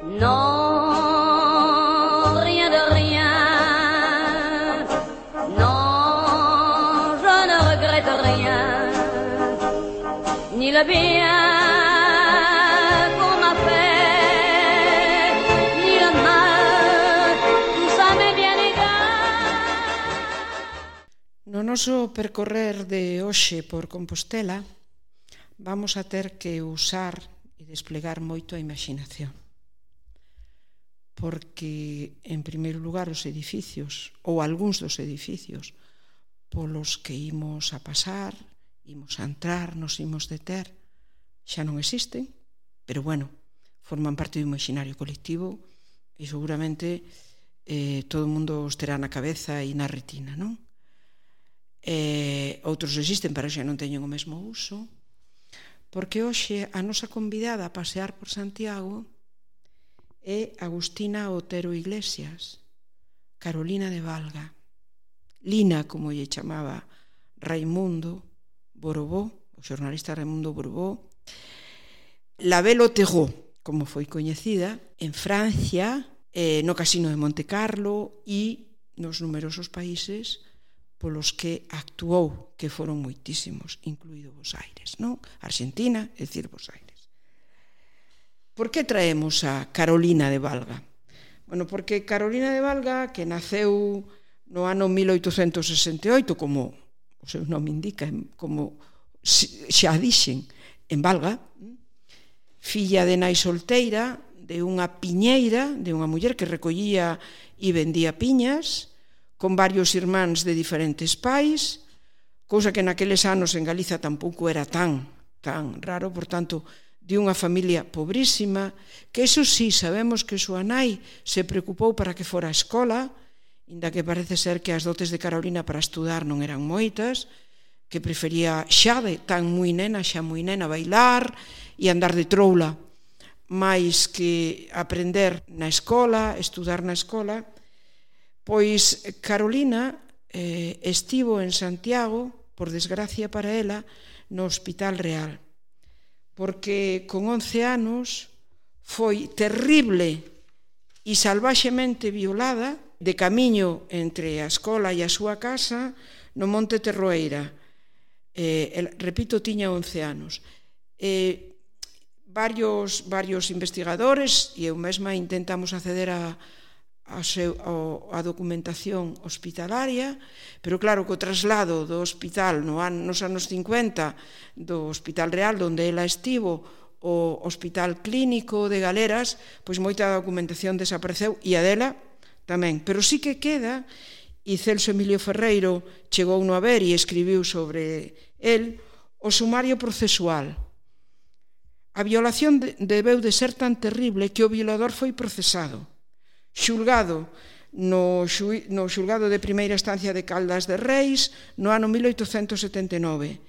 Non, rien de rien. Non, je ne regrette rien. Ni le bien qu'on m'a fait, ni le mal, tout ça m'est bien égal. No noso percorrer de hoxe por Compostela vamos a ter que usar e desplegar moito a imaxinación. Porque, en primeiro lugar, os edificios, ou algúns dos edificios polos que imos a pasar, imos a entrar, nos imos deter, xa non existen, pero, bueno, forman parte do imaginario colectivo e seguramente todo o mundo os terá na cabeza e na retina, non? Outros existen, pero xa non teñen o mesmo uso, porque hoxe a nosa convidada a pasear por Santiago é Agustina Otero Iglesias, Carolina de Valga, Lina, como lle chamaba Raimundo Borobó, o xornalista Raimundo Borobó, la Belle Otero, como foi coñecida, en Francia, no Casino de Monte Carlo e nos numerosos países polos que actuou, que foron moitísimos, incluído Bos Aires, non? Argentina, é dicir, Bos Aires. Por que traemos a Carolina de Valga? Bueno, porque Carolina de Valga, que naceu no ano 1868, como o seu nome indica, como xa dixen, en Valga, filla de nai solteira, de unha piñeira, de unha muller que recollía e vendía piñas, con varios irmáns de diferentes pais, cousa que naqueles anos en Galiza tampouco era tan raro, por tanto, de unha familia pobrísima, que eso sí, sabemos que súa nai se preocupou para que fora a escola, inda que parece ser que as dotes de Carolina para estudar non eran moitas, que prefería xa moi nena bailar e andar de troula, máis que aprender na escola, estudar na escola. Pois Carolina estivo en Santiago, por desgracia para ela, no Hospital Real, porque con 11 anos foi terrible e salvaxemente violada de camiño entre a escola e a súa casa no Monte Terroeira. Repito, tiña 11 anos. Varios investigadores e eu mesma intentamos acceder a documentación hospitalaria, pero claro que o traslado do hospital nos anos 50 do Hospital Real, onde ela estivo, o Hospital Clínico de Galeras, pois moita documentación desapareceu e a dela tamén, pero sí que queda, e Celso Emilio Ferreiro chegou no a ver e escribiu sobre el, o sumario procesual. A violación debeu de ser tan terrible que o violador foi procesado, xulgado no xulgado de primeira instancia de Caldas de Reis no ano 1879.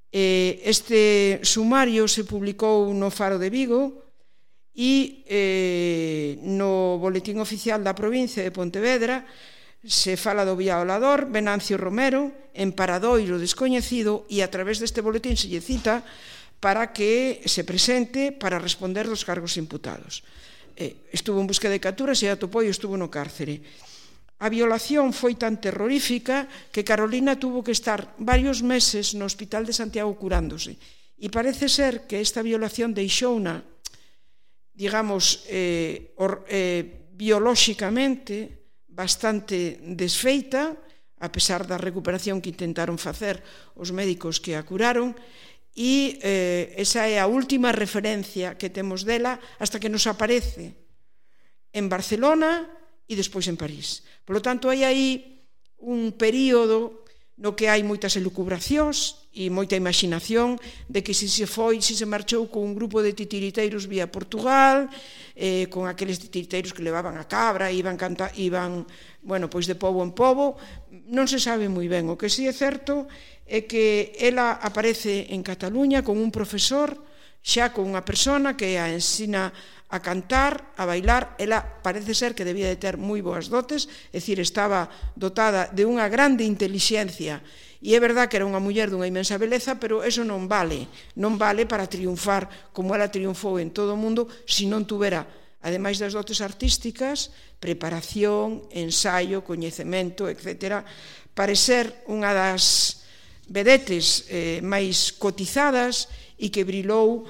Este sumario se publicou no Faro de Vigo e no Boletín Oficial da provincia de Pontevedra se fala do violador Venancio Romero, en paradoiro descoñecido, e a través deste boletín se lle cita para que se presente para responder dos cargos imputados. Estuvo en busca de capturas e atopou e estuvo no cárcere. A violación foi tan terrorífica que Carolina tuvo que estar varios meses no Hospital de Santiago curándose. E parece ser que esta violación deixouna, digamos, biolóxicamente bastante desfeita, a pesar da recuperación que intentaron facer os médicos que a curaron, e esa é a última referencia que temos dela hasta que nos aparece en Barcelona e despois en París. Por lo tanto, hai aí un período no que hai moitas elucubracións e moita imaginación de que se marchou con un grupo de titiriteiros vía Portugal, con aqueles titiriteiros que levaban a cabra, iban, pois de pobo en pobo. Non se sabe moi ben. O que sí é certo é que ela aparece en Cataluña con un profesor, xa con unha persona que a ensina a cantar, a bailar. Ela parece ser que debía de ter moi boas dotes, é dicir, estaba dotada de unha grande intelixencia, e é verdad que era unha muller dunha inmensa beleza, pero eso non vale para triunfar como ela triunfou en todo o mundo se non tuvera ademais das dotes artísticas, preparación, ensaio, coñecemento, etc., para ser unha das vedetes máis cotizadas e que brilou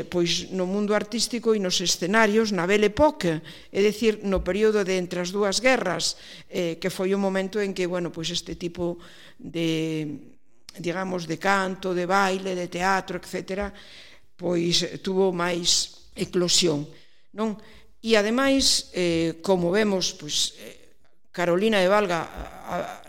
pois no mundo artístico e nos escenarios na Belle Époque, é dicir, no período de entre as dúas guerras, que foi o momento en que, bueno, pois este tipo de, digamos, de canto, de baile, de teatro, etc., pois tuvo máis eclosión, non? E ademais, como vemos, pois Carolina de Valga,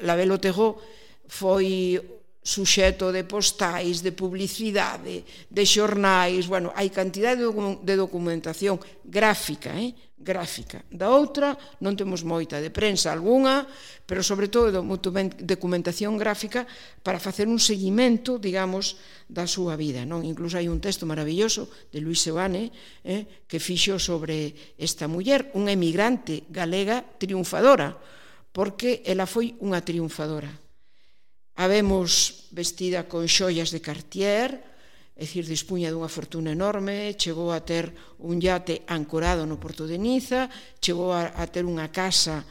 la Belle-Otero, foi suxeto de postais, de publicidade, de xornais, bueno, hai cantidade de documentación gráfica, gráfica. Da outra non temos moita, de prensa algunha, pero sobre todo documentación gráfica para facer un seguimento, digamos, da súa vida, non? Incluso hai un texto maravilloso de Luis Seoane que fixo sobre esta muller, unha emigrante galega triunfadora, porque ela foi unha triunfadora. A vemos vestida con xoias de Cartier, é dicir, dispunha dunha fortuna enorme, chegou a ter un iate ancorado no porto de Niza, chegou a ter unha casa,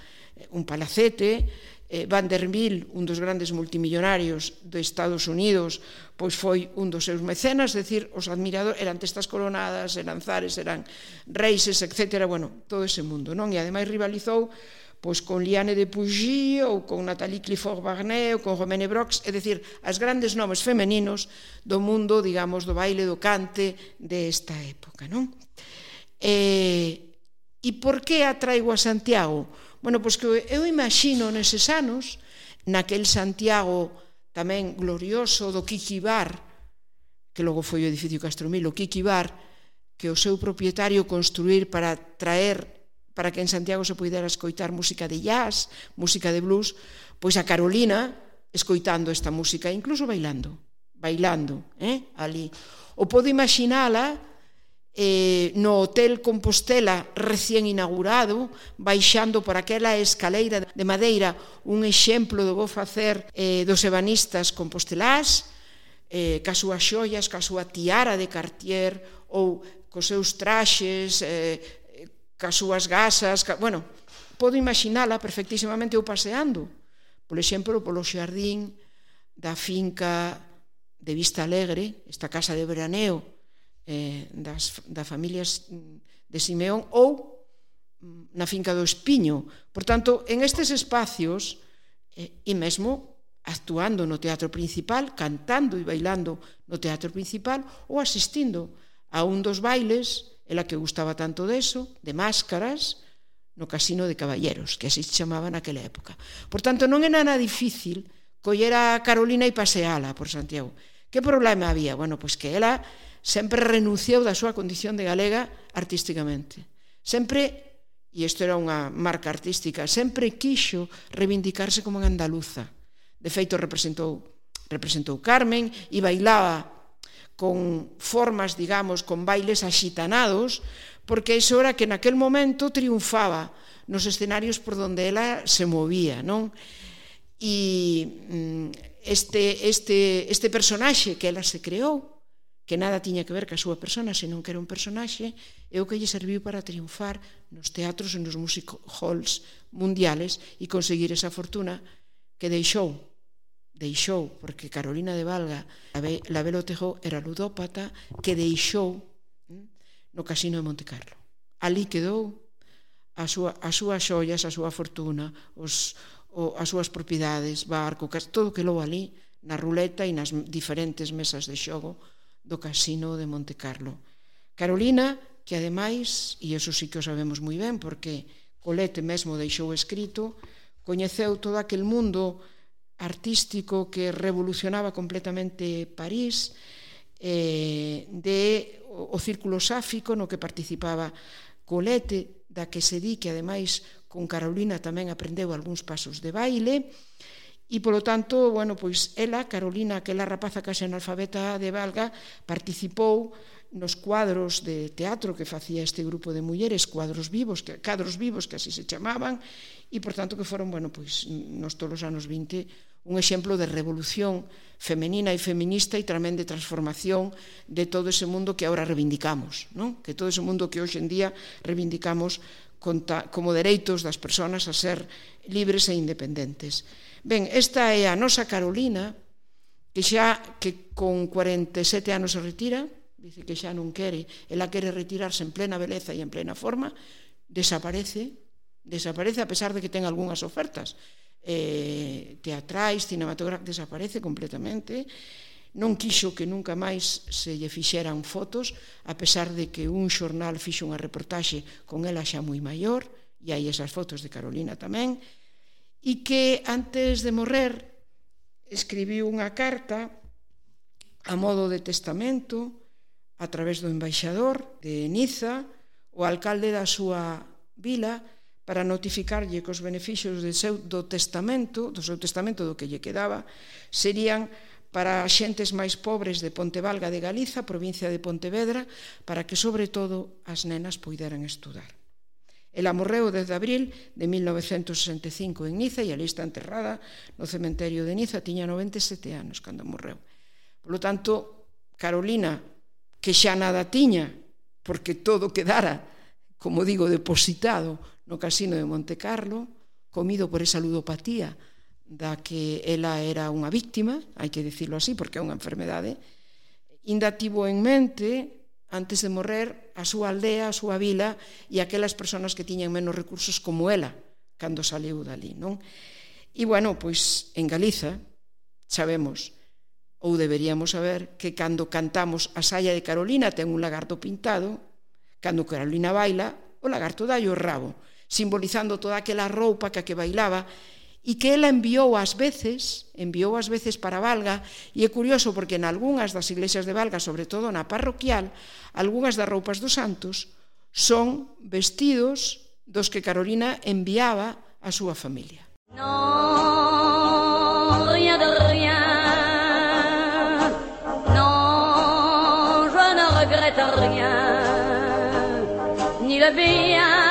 un palacete. Vanderbilt, un dos grandes multimillonarios de Estados Unidos, pois foi un dos seus mecenas, é dicir, os admiradores eran testas coronadas, eran zares, eran reises, etc. Bueno, todo ese mundo, non? E ademais rivalizou pois con Liane de Pougy ou con Nathalie Clifford-Barnet ou con Romaine Brox, é dicir, as grandes nomes femeninos do mundo, digamos, do baile, do cante desta época, non? E por que a traigo a Santiago? Bueno, pois que eu imagino neses anos, naquel Santiago tamén glorioso do Kiki Bar, que logo foi o edificio Castromil, o Kiki Bar, que o seu propietario construir para traer para que en Santiago se pudera escoitar música de jazz, música de blues, pois a Carolina escoitando esta música, incluso bailando, ali. O podo imaginala no Hotel Compostela recén inaugurado, baixando por aquela escaleira de madeira, un exemplo do bo facer dos ebanistas compostelás, ca súas xoias, ca súa tiara de Cartier, ou cos seus traxes, cas súas gasas, bueno, podo imaginala perfectísimamente eu paseando, por exemplo, polo xardín da finca de Vista Alegre, esta casa de veraneo das familias de Simeón, ou na finca do Espiño. Por tanto, en estes espacios, e mesmo actuando no teatro principal, cantando e bailando no teatro principal, ou asistindo a un dos bailes, ela que gustaba tanto deso, de máscaras, no Casino de Caballeros, que así se chamaba naquela época. Por tanto, non é nada difícil coller a Carolina e paseala por Santiago. Que problema había? Bueno, pois que ela sempre renunciou da súa condición de galega artísticamente. Sempre, e isto era unha marca artística, sempre quixo reivindicarse como unha andaluza. De feito, representou Carmen e bailaba con formas, digamos, con bailes axitanados, porque iso era que naquel momento triunfaba nos escenarios por donde ela se movía, non? E este personaxe que ela se creou, que nada tiña que ver ca súa persona, senón que era un personaxe, é o que lle serviu para triunfar nos teatros e nos music halls mundiales e conseguir esa fortuna que deixou, porque Carolina de Valga, la Belle-Otero, era ludópata, que deixou no Casino de Montecarlo. Ali quedou as súas xoias, a súa fortuna, as súas propiedades, barco, todo quedou ali na ruleta e nas diferentes mesas de xogo do Casino de Montecarlo. Carolina, que ademais, e iso sí que o sabemos moi ben, porque Colette mesmo deixou escrito, coñeceu todo aquel mundo artístico que revolucionaba completamente París, o círculo sáfico no que participaba Colette, da que se di que ademais con Carolina tamén aprendeu algúns pasos de baile, e polo tanto, bueno, pois ela, Carolina, aquela rapaza case analfabeta de Valga, participou nos cuadros de teatro que facía este grupo de mulleres, cadros vivos, que así se chamaban, e, por tanto, que foron, pois, nos todos os anos 20, un exemplo de revolución femenina e feminista e tamén de transformación de todo ese mundo que agora reivindicamos, non? Que todo ese mundo que hoxe en día reivindicamos como dereitos das persoas a ser libres e independentes. Ben, esta é a nosa Carolina, que con 47 anos se retira, dice que xa non quere, ela quere retirarse en plena beleza e en plena forma, desaparece a pesar de que ten algunhas ofertas teatrais, cinematográficas, desaparece completamente. Non quixo que nunca máis se lle fixeran fotos, a pesar de que un xornal fixo unha reportaxe con ela xa moi maior, e hai esas fotos de Carolina tamén, e que antes de morrer escribiu unha carta a modo de testamento a través do embaixador de Niza, o alcalde da súa vila, para notificarlle que os beneficios do seu testamento do que lle quedaba, serían para as xentes máis pobres de Pontevalga de Galiza, provincia de Pontevedra, para que, sobre todo, as nenas poideran estudar. Ela morreu o 10 de abril de 1965 en Niza e ali está enterrada no cementerio de Niza, tiña 97 anos cando morreu. Por lo tanto, Carolina, que xa nada tiña, porque todo quedara, como digo, depositado no casino de Montecarlo, comido por esa ludopatía da que ela era unha víctima, hai que dicirlo así, porque é unha enfermedade, ainda tivo en mente, antes de morrer, a súa aldea, a súa vila e aquelas persoas que tiñan menos recursos como ela, cando saliu dali, non? E, pois, en Galiza, sabemos, ou deberíamos saber, que cando cantamos a saia de Carolina ten un lagarto pintado, cando Carolina baila, o lagarto dalle o rabo, simbolizando toda aquela roupa que bailaba, e que ela enviou ás veces para Valga, e é curioso porque en algunhas das iglesias de Valga, sobre todo na parroquial, algunhas das roupas dos santos son vestidos dos que Carolina enviaba á súa familia. Non, rien de rien, non, je ne regrette rien, ni le bien